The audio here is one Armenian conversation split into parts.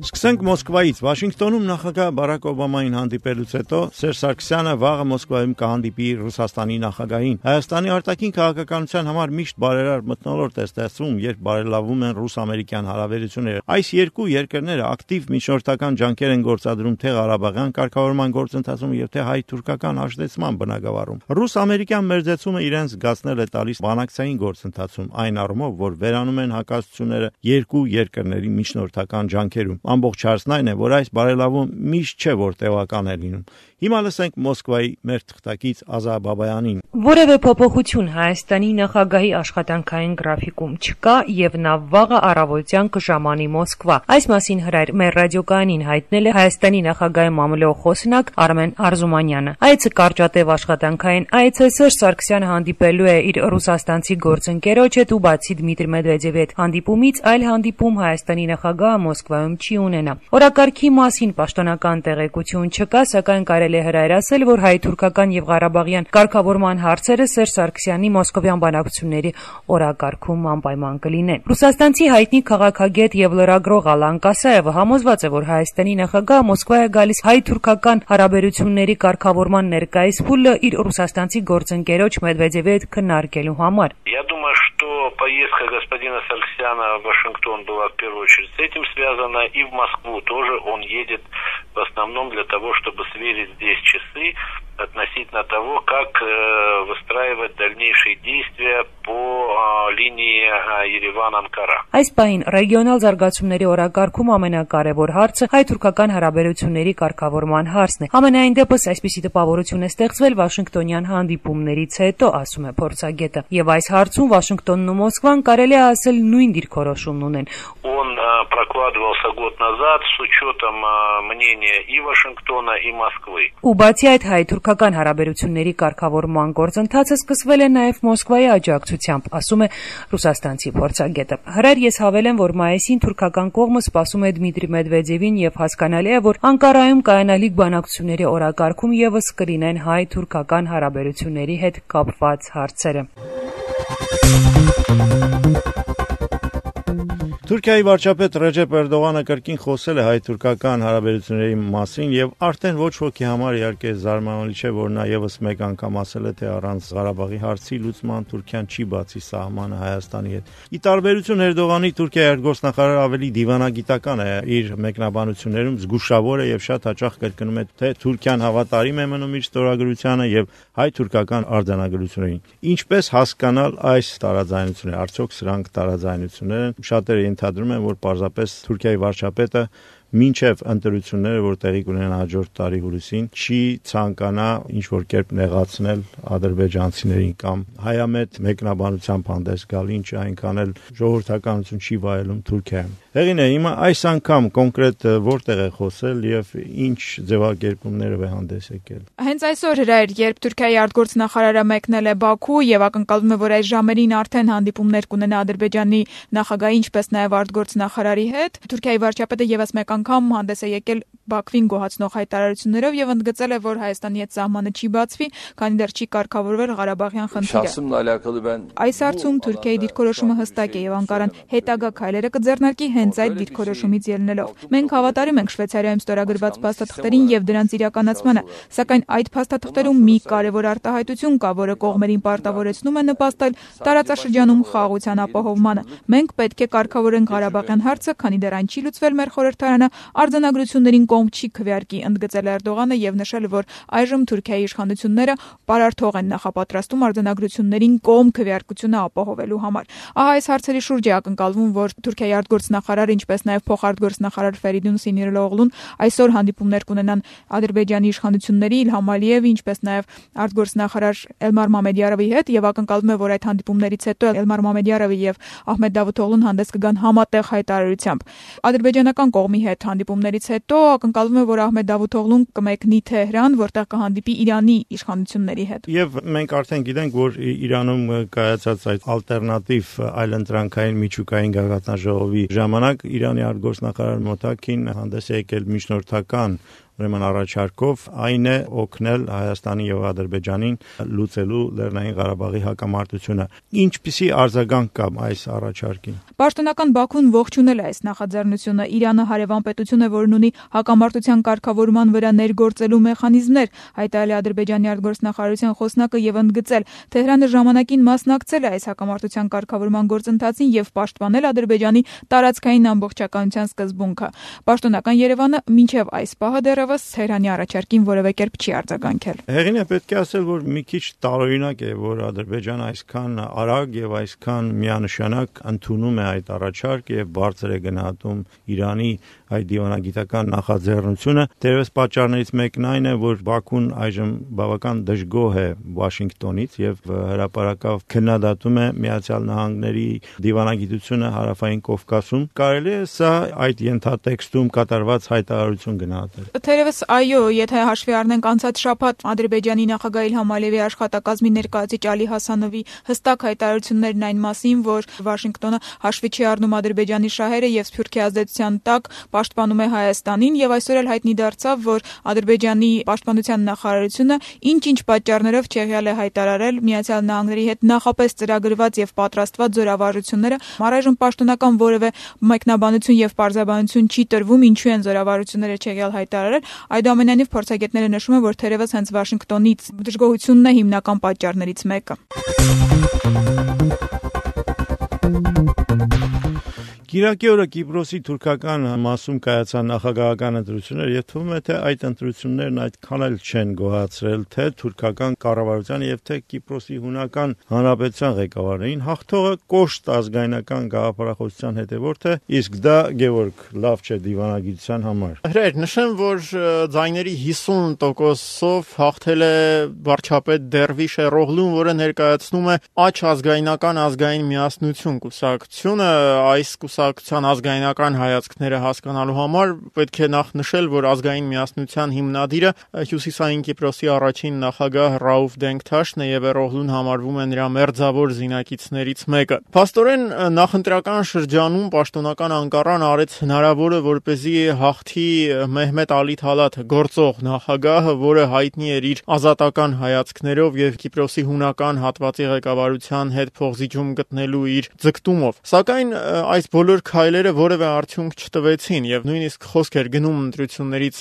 Սկսենք Մոսկվայից։ Վաշինգտոնում նախագահ Բարակ Օբամային հանդիպելուց հետո Սերժ Սարգսյանը վաղը Մոսկվայում կհանդիպի Ռուսաստանի նախագահին։ Հայաստանի արտաքին քաղաքականության համար միշտ բարերար մթնոլորտ է ստեղծվում, երբ բարելավում են ռուս-ամերիկյան հարաբերությունները։ Այս երկու երկրները ակտիվ միջնորդական ջանքեր են գործադրում թե Ղարաբաղյան կարգավորման գործընթացում եւ թե հայ-թուրքական հաշտեցման բնագավառում։ Ռուս-ամերիկյան մերձեցումը իրենց զգացնել է տալիս բանակցային գործընթացում, այն առումով, որ վերանում են հակասությունները երկու երկրների միջնորդական ջանքերում։ Ամբողջ հարցն այն է, որ այս բարելավում միշտ չէ, որ տևական է լինում։ Հիմա լսենք Մոսկվայի մեր թղթակից Ազա Բաբայանին։ Որևէ փոփոխություն Հայաստանի նախագահի աշխատանքային գրաֆիկում չկա եւ նա վաղը առավոտյան կժամանի Մոսկվա։ Այս մասին հրայր մեր ռադիոկայանին հայտնել է Հայաստանի նախագահի մամուլի խոսնակ Արմեն Արզումանյանը։ Այցը կարճատև աշխատանքային այց է, Սերժ Սարգսյանը հանդիպելու է իր ռուսաստանցի գործընկերոջ հետ ու բացի Դմիտրի Մեդվեդևի հետ հանդիպումից այլ հանդիպում Հայաստանի նախագահը Մոսկվայում չի ունենա։ Օրակարգի մասին պաշտոնական տեղեկություն չկա, սակայն կարելի է հրայր ասել, որ հայ-թուրքական եւ ղարաբաղյան կարգավորման հարցերը Սերժ Սարգսյանի մոսկովյան բանակցությունների օրակարգում անպայման կլինեն։ Ռուսաստանցի հայտնի քաղաքագետ եւ լրագրող Ալան Կասաևը համոզված է, որ Հայաստանի նախագահը Մոսկվա է գալիս հայ-թուրքական հարաբերությունների կարգավորման ներկայիս փուլը իր ռուսաստանցի գործընկերոջ Մեդվեդևի հետ քննարկելու համար։ Я думаю, что поездка господина Сарксяна в Вашингтон была в первую очередь с этим связана, и в Москву тоже он едет в основном для того, чтобы сверить здесь часы относительно того, как выстраивать дальнейшие действия по линии Երևան-Անկարա։ Այս պահին ռեգիոնալ զարգացումների օրակարգում ամենակարևոր հարցը հայ-թուրքական հարաբերությունների կարգավորման հարցն է։ Ամենայն դեպս այսպիսի տպավորություն է ստեղծվել Վաշինգտոնյան հանդիպումներից հետո, ասում է փորձագետը, եւ այս հարցում Վաշինգտոնն ու Մոսկվան կարելի է ասել նույն դիրքորոշումն ունեն։ Он прокладывался год назад с учетом мнения и Вашингтона, и Москвы։ Ու բացի այդ հայ-թուրքական հարաբերությունների կարգավորման գործընթացը սկսվել է նաև Մոսկվայի աջակցությամբ, ասում է ռուսաստանցի փորձագետը։ Հրայր ես հավելեմ, որ մայիսին թուրքական կողմը սպասում է Դմիտրի Մեդվեդևին եւ հասկանալի է, որ Անկարայում կայանալիք բանակցությունների օրակարգում եւս կլինեն հայ-թուրքական հարաբերությունների հետ կապված հարցերը։ Թուրքիայի վարչապետ Ռեջեփ Էրդողանը կրկին խոսել է հայ-թուրքական հարաբերությունների մասին եւ արդեն ոչ ոքի համար իհարկե զարմանալի չէ, որ նա եւս մեկ անգամ ասել է, թե առանց Ղարաբաղի հարցի լուծման Թուրքիան չի բացի սահմանը Հայաստանի հետ։ Ի տարբերություն Էրդողանի, Թուրքիայի արտգործնախարարը ավելի դիվանագիտական է իր մեկնաբանություններում, զգուշավոր է եւ շատ հաճախ կրկնում է, թե Թուրքիան հավատարիմ է մնում իր ստորագրությանը եւ հայ-թուրքական արձանագրություններին։ Ինչպես հասկանալ այս տարաձայնությունները, արդյոք սրանք տարաձայնություններ են։ Շատերը ենթադրում են, որ պարզապես Թուրքիայի վարչապետը մինչև ընտրությունները, որ տեղի կունենան հաջորդ տարի հուլիսին, չի ցանկանա ինչ-որ կերպ նեղացնել ադրբեջանցիներին կամ հայամետ մեկնաբանությամբ հանդես գալ, ինչը այնքան էլ ժողովրդականություն չի վայելում Թուրքիայում։ Հեղինե, հիմա այս անգամ կոնկրետ որտեղ է խոսել եւ ինչ ձևակերպումներով է հանդես եկել։ Հենց այսօր հրայր, երբ Թուրքիայի արտգործնախարարը մեկնել է Բաքու եւ ակնկալվում է, որ այս ժամերին արդեն հանդիպումներ կունենա Ադրբեջանի նախագահի, ինչպես նաեւ արտգործնախարարի հետ, Թուրքիայի վարչապետը եւս մեկ անգամ հանդես է եկել Բաքվին գոհացնող հայտարարություններով եւ ընդգծել է, որ Հայաստանի հետ սահմանը չի բացվի, քանի դեռ չի կարգավորվել Ղարաբաղյան խնդիրը։ Այս հարցում Թուրքիայի դիրքորոշումը հստակ է եւ Անկարան հետագա քայլերը կձեռնարկի հենց այդ դիրքորոշումից ելնելով։ Մենք հավատարիմ ենք Շվեյցարիայում ստորագրված փաստաթղթերին եւ դրանց իրականացմանը, սակայն այդ փաստաթղթերում մի կարևոր արտահայտություն կա, որը կողմերին պարտավորեցնում է նպաստել տարածաշրջանում խաղաղության ապահովմանը։ Մենք պետք է կարգավորենք Ղարաբաղյան հարցը, քանի դեռ այն չի լուծվել, մեր խորհրդարանը արձանագրություններին կողմ չի քվեարկի, ընդգծել Էրդողանը եւ նշել, որ այժմ Թուրքիայի իշխանությունները պարարթող են նախապատրաստում արձանագրություններին կողմ քվեարկությունը ապահովելու համար։ Ահա այս հարցերի շուրջ է ակնկալվում, որ Թուրքիայի արտգործնախարար, ինչպես նաեւ փոխարտգործնախարար Ֆերիդուն Սինիրօղլուն այսօր հանդիպումներ կունենան Ադրբեջանի իշխանությունների Իլհամ Ալիևի, ինչպես նաեւ արտգործնախարար Էլմար Մամեդյարովի հետ եւ ակնկալվում է, որ այդ հանդիպումներից հետո Էլմար Մամեդյարովը եւ Ահմեդ Դավութօղլուն հանդես կգան համատեղ հայտարարությամբ։ Ադրբեջանական կողմի հետ հանդիպումներից հետո ակնկալվում է, որ Ահմեդ Դավութօղլուն կմեկնի Թեհրան, որտեղ կհանդիպի Իրանի իշխանությունների հետ։ Եվ մենք արդեն գիտենք, որ Իրանում կայացած այդ ալտերնատիվ այլընտրանքային միջուկային գագաթնաժողովի ժամանակ Իրանի արտգործնախարար Մոթաքին հանդես է եկել միջնորդական ուրեմն առաջարկով այն է օգնել Հայաստանի եւ Ադրբեջանին լուծելու Լեռնային Ղարաբաղի հակամարտությունը։ Ինչպիսի արձագանք կա այս առաջարկին։ Պաշտոնական Բաքուն ողջունել է այս նախաձեռնությունը։ Իրանը հարևան պետություն է, որն ունի հակամարտության կարգավորման վրա ներգործելու մեխանիզմներ, հայտարարել է Ադրբեջանի արտգործնախարարության խոսնակը եւ ընդգծել, Թեհրանը ժամանակին մասնակցել է այս հակամարտության կարգավորման գործընթացին եւ պաշտպանել Ադրբեջանի տարածքային ամբողջականության սկզբունքը։ Պաշտոնական Երևանը մինչև այս պահը դեռևս Թեհրանի առաջարկին որևէ կերպ չի արձագանքել։ Հեղինը պետք է ասել, որ մի քիչ տարօրինակ է, որ Ադրբեջանը այսքան արագ եւ այսքան միանշանակ ընդունում է այդ առաջարկ եւ բարձր է գնահատում Իրանի այդ դիվանագիտական նախաձեռնությունը։ Դերևս պատճառներից մեկն այն է, որ Բաքուն այժմ բավական դժգոհ է Վաշինգտոնից եւ հրապարակավ քննադատում է Միացյալ Նահանգների դիվանագիտությունը Հարավային Կովկասում։ Կարելի է սա այդ ենթատեքստում կատարված հայտարարություն գնահատել։ Թերևս այո, եթե հաշվի առնենք անցած շաբաթ Ադրբեջանի նախագահ Իլհամ Ալիևի աշխատակազմի ներկայացուցիչ Ալի Հասանովի հստակ հայտարարություններն այն մասին, որ Վաշինգտոնը հաշվի չի առնում Ադրբեջանի շահերը եւ Սփյուռքի ազդեցության տակ պաշտպանում է Հայաստանին եւ այսօր էլ հայտնի դարձավ, որ Ադրբեջանի պաշտպանության նախարարությունը ինչ-ինչ պատճառներով չեղյալ է հայտարարել Միացյալ Նահանգների հետ նախապես ծրագրված եւ պատրաստված զորավարժությունները։ Առայժմ պաշտոնական որևէ մեկնաբանություն եւ պարզաբանություն չի տրվում, ինչու են զորավարժությունները չեղյալ հայտարարել։ Այդուամենայնիվ փորձագետները նշում են, որ թերևս հենց Վաշինգտոնից դժգոհությունն է հիմնական պատճառներից մեկը։ Կիրակի օրը Կիպրոսի թուրքական մասում կայացան նախագահական ընտրություններ, եւ թվում է թե այդ ընտրություններն այդքան էլ չեն գոհացրել թե թուրքական կառավարության եւ թե Կիպրոսի հունական հանրապետության ղեկավարներին։ Հաղթողը կոշտ ազգայնական գաղափարախոսության հետևորդ է, իսկ դա Գևորգ լավ չէ դիվանագիտության համար։ Հրեր, նշեմ, որ ձայների 50%-ով հաղթել է վարչապետ Դերվիշ Էրօղլուն, որը ներկայացնում է Աջ ազգայնական ազգային միասնություն կուսակցությունը։ Այս կուսակցության ազգայնական հայացքները հասկանալու համար պետք է նախ նշել, որ ազգային միասնության հիմնադիրը Հյուսիսային Կիպրոսի առաջին նախագահ Ռաուֆ Դենգթաշն է եւ Էրօղլուն համարվում է նրա մերձավոր զինակիցներից մեկը։ Փաստորեն նախընտրական շրջանում պաշտոնական Անկարան արեց հնարավորը, որպեսզի հաղթի Մեհմեդ Ալի Թալաթը, գործող նախագահը, որը հայտնի էր իր ազատական հայացքներով եւ Կիպրոսի հունական հատվածի ղեկավարության հետ փոխզիջում գտնելու իր ձգտումով։ Սակայն այս բոլոր քայլերը որևէ արդյունք չտվեցին եւ նույնիսկ խոսք էր գնում ընտրություններից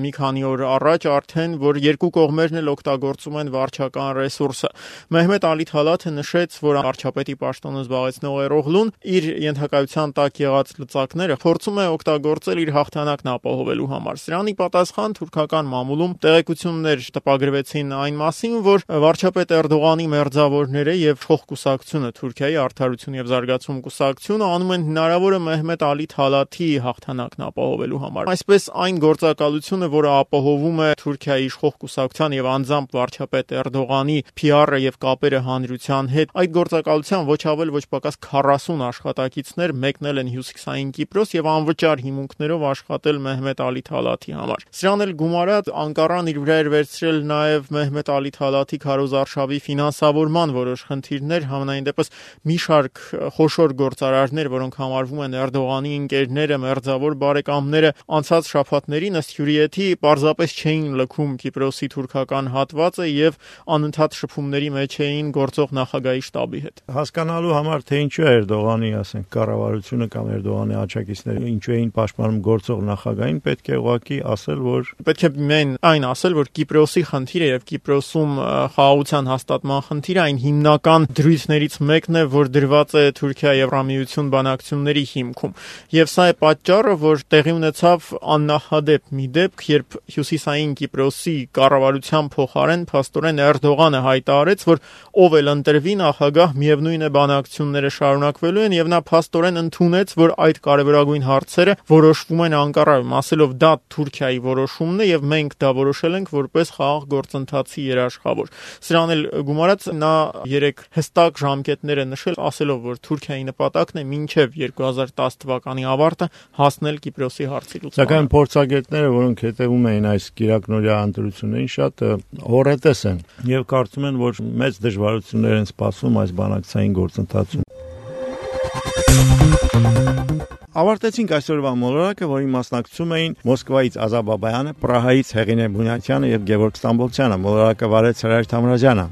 մի քանի օր առաջ արդեն, որ երկու կողմերն էլ օգտագործում են վարչական ռեսուրսը։ Մեհմեդ Ալի Թալաթը նշեց, որ վարչապետի պաշտոնը զբաղեցնող Էրօղլուն իր ենթակայության տակ եղած լծակները փորձում է օգտագործել իր հաղթանակն ապահովելու համար։ Սրանի պատասխան թուրքական մամուլում տեղեկություններ տպագրվեցին այն մասին, որ վարչապետ Էրդողանի մերձավորները եւ փոխկուսակցությունը Թուրքիայի արդարություն եւ զարգացում կուսակցությունը անում են հնարավորը Մեհմեդ Ալի Թալաթի հաղթանակն ապահովելու համար։ Այսպես այն գործակալությունը, որը ապահովում է Թուրքիայի իշխող կուսակցության եւ անձամբ վարչապետ Էրդողանի PR-ը եւ կապերը հանրության հետ, այդ գործակալության ոչ ավել ոչ պակաս 40 աշխատակիցներ մեկնել են Հյուսիսային Կիպրոս եւ անվճար հիմունքներով աշխատել Մեհմեդ Ալի Թալաթի համար։ Սրան էլ գումարած Անկարան իր վրա էր վերցրել նաեւ Մեհմեդ Ալի Թալաթի քարոզարշավի ֆինանսավորման որոշ խնդիրներ, համենայն դեպս մի շարք խոշոր գործարարներ, որոնք համարվում են Էրդողանի ընկերները, մերձավոր բարեկամները, անցած շաբաթներին ըստ հյուրիեթի պարզապես չէին լքում Կիպրոսի թուրքական հատվածը եւ անընդհատ շփումների մեջ էին գործող նախագահի շտաբի հետ։ Հասկանալու համար թե ինչու է Էրդողանի, ասենք, կառավարությունը կամ Էրդողանի աջակիցները ինչու էին պաշտպանում գործող նախագահին, պետք է ուղղակի ասել, որ պետք է մեն այն ասել, որ Կիպրոսի խնդիրը եւ Կիպրոսում խաղաղության հաստատման խնդիրը այն հիմնական դրույթներից մեկն է, որ դրված է Թուրքիա-Եվրամիություն բանակցությունների հիմքում։ Եվ սա է պատճառը, որ տեղի ունեցավ աննախադեպ մի դեպք, երբ Հյուսիսային Կիպրոսի կառավարության փոխարեն փաստորեն Էրդողանը հայտարարեց, որ ով էլ ընտրվի նախագահ, միևնույն է բանակցությունները շարունակվելու են եւ նա փաստորեն ընդունեց, որ այդ կարևորագույն հարցերը որոշվում են Անկարայում, ասելով դա Թուրքիայի որոշումն է եւ մենք դա որոշել ենք որպես խաղաղ գործընթացի երաշխավոր։ Սրան էլ գումարած նա 3 հստակ ժամկետներ է նշել, ասելով, որ Թուրքիայի նպատակն է մինչև 2010 թվականի ավարտը հասնել Կիպրոսի հարցի լուծմանը։ Սակայն փորձագետները, որոնք հետևում էին այս կիրակնօրյա ընտրություններին, շատ հոռետես են եւ կարծում են, որ մեծ դժվարություններ են սպասում այս բանակցային գործընթացում։ Ավարտեցինք այսօրվա մոլորակը, որին մասնակցում էին Մոսկվայից Ազա Բաբայանը, Պրահայից Հեղինե Բունյացյանը եւ Գևորգ Ստամբոլցյանը։ Մոլորակը վարեց Հրայր Թամրազյանը։